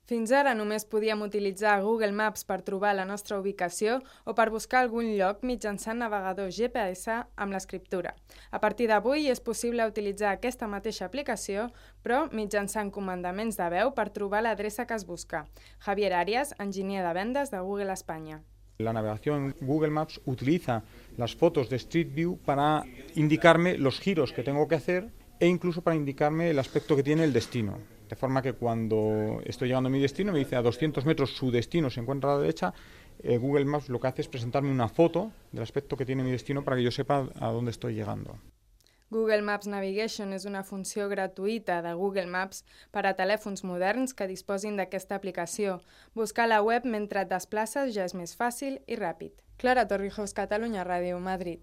Fins ara només podíem utilitzar Google Maps per trobar la nostra ubicació o per buscar algun lloc mitjançant navegador GPS amb l'escriptura. A partir d'avui és possible utilitzar aquesta mateixa aplicació, però mitjançant comandaments de veu per trobar l'adreça que es busca. Javier Arias, enginyer de vendes de Google Espanya. La navegación Google Maps utiliza las fotos de Street View para indicarme los giros que tengo que hacer e incluso para indicarme el aspecto que tiene el destino. De forma que cuando estoy llegando a mi destino, me dice a 200 metros su destino se encuentra a la derecha, Google Maps lo que hace es presentarme una foto del aspecto que tiene mi destino para que yo sepa a dónde estoy llegando. Google Maps Navigation és una funció gratuïta de Google Maps per a telèfons moderns que disposin d'aquesta aplicació. Buscar la web mentre et desplaces ja és més fàcil i ràpid. Clara Torrijos, Catalunya Ràdio, Madrid.